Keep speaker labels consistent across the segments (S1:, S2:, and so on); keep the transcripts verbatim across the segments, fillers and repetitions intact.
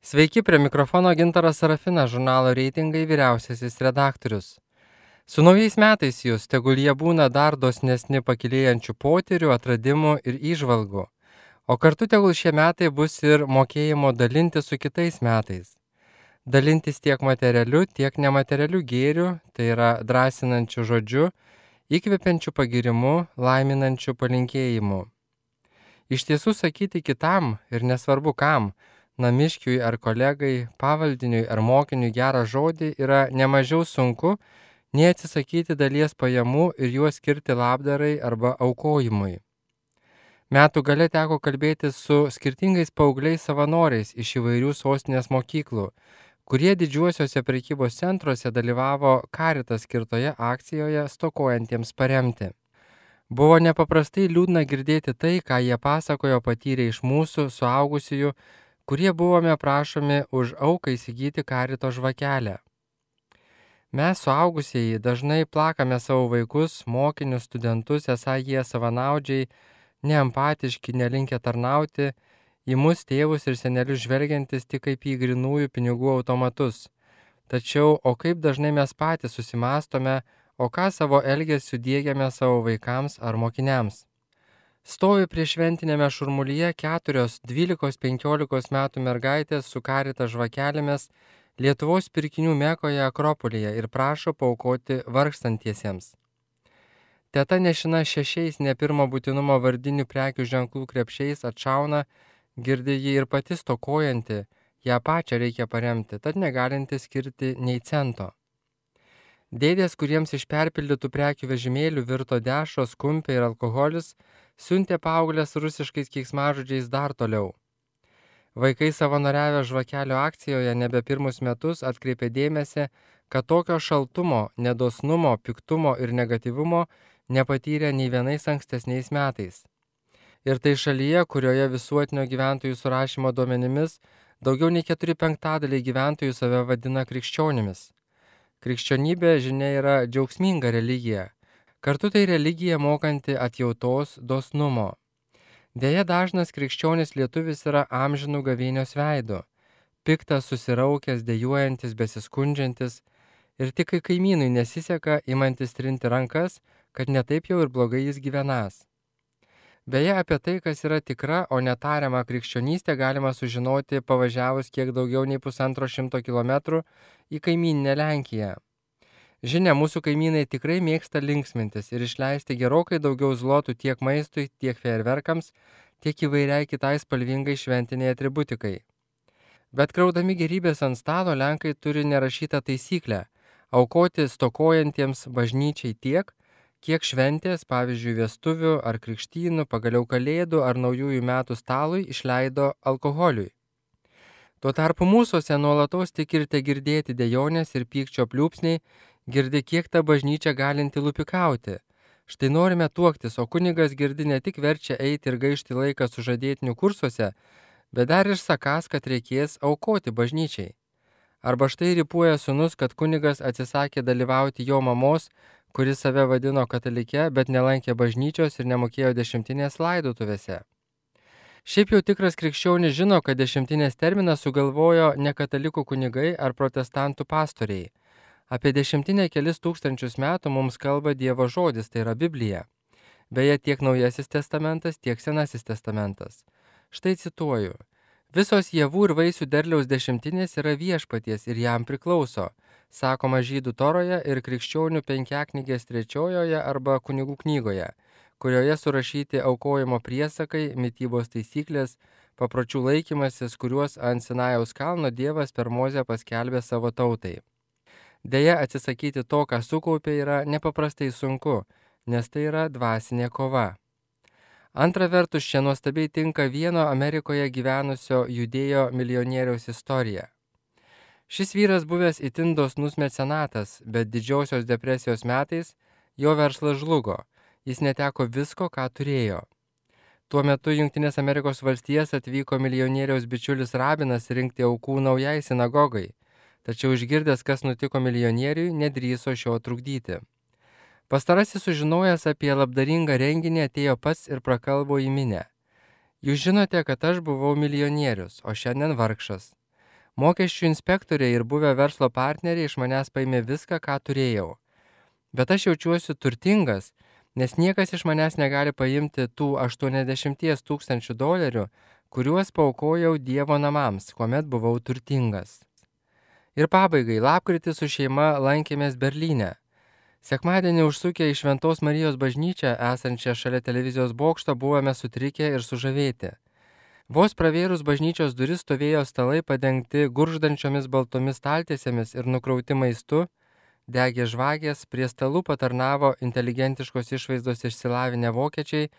S1: Sveiki, prie mikrofono Gintaras Sarafinas, žurnalo Reitingai vyriausiasis redaktorius. Su naujais metais jūs, tegul jie būna dar dosnesni pakilėjančių potyrių, atradimų ir įžvalgų. O kartu tegul šie metai bus ir mokėjimo dalinti su kitais metais. Dalintis tiek materialiu, tiek nematerialiu gėriu, tai yra drąsinančiu žodžiu, įkvepiančiu pagirimu, laiminančiu palinkėjimu. Iš tiesų sakyti kitam ir nesvarbu kam, namiškiui ar kolegai, pavaldiniui ar mokiniui gerą žodį yra nemažiau sunku, nei atsisakyti dalies pajamų ir juos skirti labdarai arba aukojimui. Metų gale teko kalbėti su skirtingais paaugliais savanoriais iš įvairių sostinės mokyklų, kurie didžiuosiuose prekybos centruose dalyvavo Caritas skirtoje akcijoje stokojantiems paremti. Buvo nepaprastai liūdna girdėti tai, ką jie pasakojo patyrę iš mūsų suaugusiųjų, kurie buvome prašomi už auką įsigyti Carito žvakelę. Mes suaugusieji dažnai plakame savo vaikus, mokinius, studentus, esą jie savanaudžiai, neempatiški, nelinkę tarnauti, į mus tėvus ir senelius žvelgiantis tik kaip į grinųjų pinigų automatus. Tačiau, o kaip dažnai mes patys susimastome, o ką savo elgesiu diegiame savo vaikams ar mokiniams. Stovi prie šventinėme šurmulyje keturios dvylikos penkiolikos metų mergaitės su Carito žvakelėmis Lietuvos pirkinių Mekoje Akropolyje ir prašo paaukoti vargstantiesiems. Teta nešina šešiais ne pirmo būtinumo vardinių prekių ženklų krepšiais atšauna, girdi ji ir pati stokojanti, ją pačią reikia paremti, tad negalinti skirti nei cento. Dėdės, kuriems iš perpildytų prekių vežimėlių virto dešros, kumpiai ir alkoholis, siuntė paauglės rusiškais keiksmažodžiais dar toliau. Vaikai savanoriavę žvakelio akcijoje nebe pirmus metus atkreipė dėmesį, kad tokio šaltumo, nedosnumo, piktumo ir negatyvumo nepatyrė nei vienais ankstesniais metais. Ir tai šalyje, kurioje visuotinio gyventojų surašymo duomenimis daugiau nei keturi penktadaliai gyventojų save vadina krikščionimis. Krikščionybė, žinia, yra džiaugsminga religija. Kartu tai religija mokanti atjautos, dosnumo. Deja, dažnas krikščionis lietuvis yra amžinų gavėnios veidu, piktas, susiraukęs, dejuojantis, besiskundžiantis ir tik kai kaimynui nesiseka, imantis trinti rankas, kad netaip jau ir blogai jis gyvenas. Beje, apie tai, kas yra tikra, o netariama krikščionystė, galima sužinoti pavažiavus kiek daugiau nei pusantro šimto kilometrų į kaimyninę Lenkiją. Žinia, mūsų kaimynai tikrai mėgsta linksmintis ir išleisti gerokai daugiau zlotų tiek maistui, tiek fejerverkams, tiek įvairiai kitai spalvingai šventiniai atributikai. Bet kraudami gerybės ant stalo, Lenkai turi nerašytą taisyklę – aukoti stokojantiems bažnyčiai tiek, kiek šventės, pavyzdžiui, vestuvių ar krikštynų, pagaliau kalėdų ar naujųjų metų stalui išleido alkoholiui. Tuo tarpu mūsųse nuolatos tik ir te girdėti dejonės ir pykčio pliūpsniai, girdi, kiek ta bažnyčia galinti lupikauti. Štai norime tuoktis, o kunigas girdi ne tik verčia eiti ir gaišti laiką sužadėtinių kursuose, bet dar ir sakąs, kad reikės aukoti bažnyčiai. Arba štai ripuoja sūnus, kad kunigas atsisakė dalyvauti jo mamos, kuris save vadino katalike, bet nelankė bažnyčios ir nemokėjo dešimtinės laidotuvėse. Šiaip jau tikras krikščionis žino, kad dešimtinės terminą sugalvojo ne katalikų kunigai ar protestantų pastoriai. Apie dešimtinę kelis tūkstančius metų mums kalba Dievo žodis, tai yra Biblija. Beje, tiek Naujasis testamentas, tiek Senasis testamentas. Štai cituoju. Visos javų ir vaisių derliaus dešimtinės yra viešpaties ir jam priklauso, sakoma Žydų Toroje ir krikščionių penkiaknygės trečiojoje arba kunigų knygoje, kurioje surašyti aukojimo priesakai, mitybos taisyklės, papročių laikymasis, kuriuos ant Sinajaus kalno Dievas per Mozę paskelbė savo tautai. Deja, atsisakyti to, ką sukaupė, yra nepaprastai sunku, nes tai yra dvasinė kova. Antra vertus, čia nuostabiai tinka vieno Amerikoje gyvenusio judėjo milijonieriaus istorija. Šis vyras buvęs itin dosnus mecenatas, bet didžiosios depresijos metais jo verslas žlugo, jis neteko visko, ką turėjo. Tuo metu Jungtinės Amerikos valstijas atvyko milijonieriaus bičiulis rabinas rinkti aukų naujai sinagogai. Tačiau išgirdęs, kas nutiko milijonieriui, nedrįso šio trukdyti. Pastarasis sužinojęs apie labdaringą renginį atėjo pats ir prakalbo į minią. Jūs žinote, kad aš buvau milijonierius, o šiandien vargšas. Mokesčių inspektoriai ir buvę verslo partneriai iš manęs paėmė viską, ką turėjau. Bet aš jaučiuosi turtingas, nes niekas iš manęs negali paimti tų aštuoniasdešimties tūkstančių dolerių, kuriuos paaukojau Dievo namams, kuomet buvau turtingas. Ir pabaigai, lapkritį su šeima lankėmės Berlyne. Sekmadienį užsukę į Šventos Marijos bažnyčią, esančią šalia televizijos bokšto, buvome sutrikę ir sužavėti. Vos pravėrus bažnyčios duris stovėjo stalai padengti gurgždančiomis baltomis staltiesėmis ir nukrauti maistu, degė žvakės, prie stalų patarnavo inteligentiškos išvaizdos išsilavinę vokiečiai,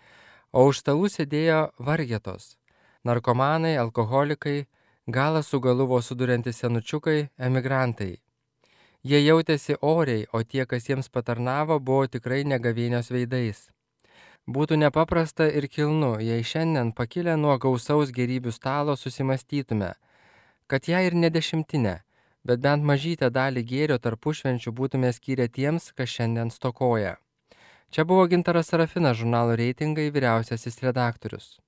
S1: o už stalų sėdėjo vargetos – narkomanai, alkoholikai, galą su galu vos suduriantys senučiukai, emigrantai. Jie jautėsi oriai, o tie, kas jiems patarnavo, buvo tikrai negavėnios veidais. Būtų nepaprasta ir kilnu, jei šiandien pakilę nuo gausaus gėrybių stalo susimastytume, kad ją ir ne dešimtinę, bet bent mažytę dalį gėrio tarpušvenčių būtume skyrę tiems, kas šiandien stokoja. Čia buvo Gintaras Sarafinas, žurnalo Reitingai vyriausiasis redaktorius.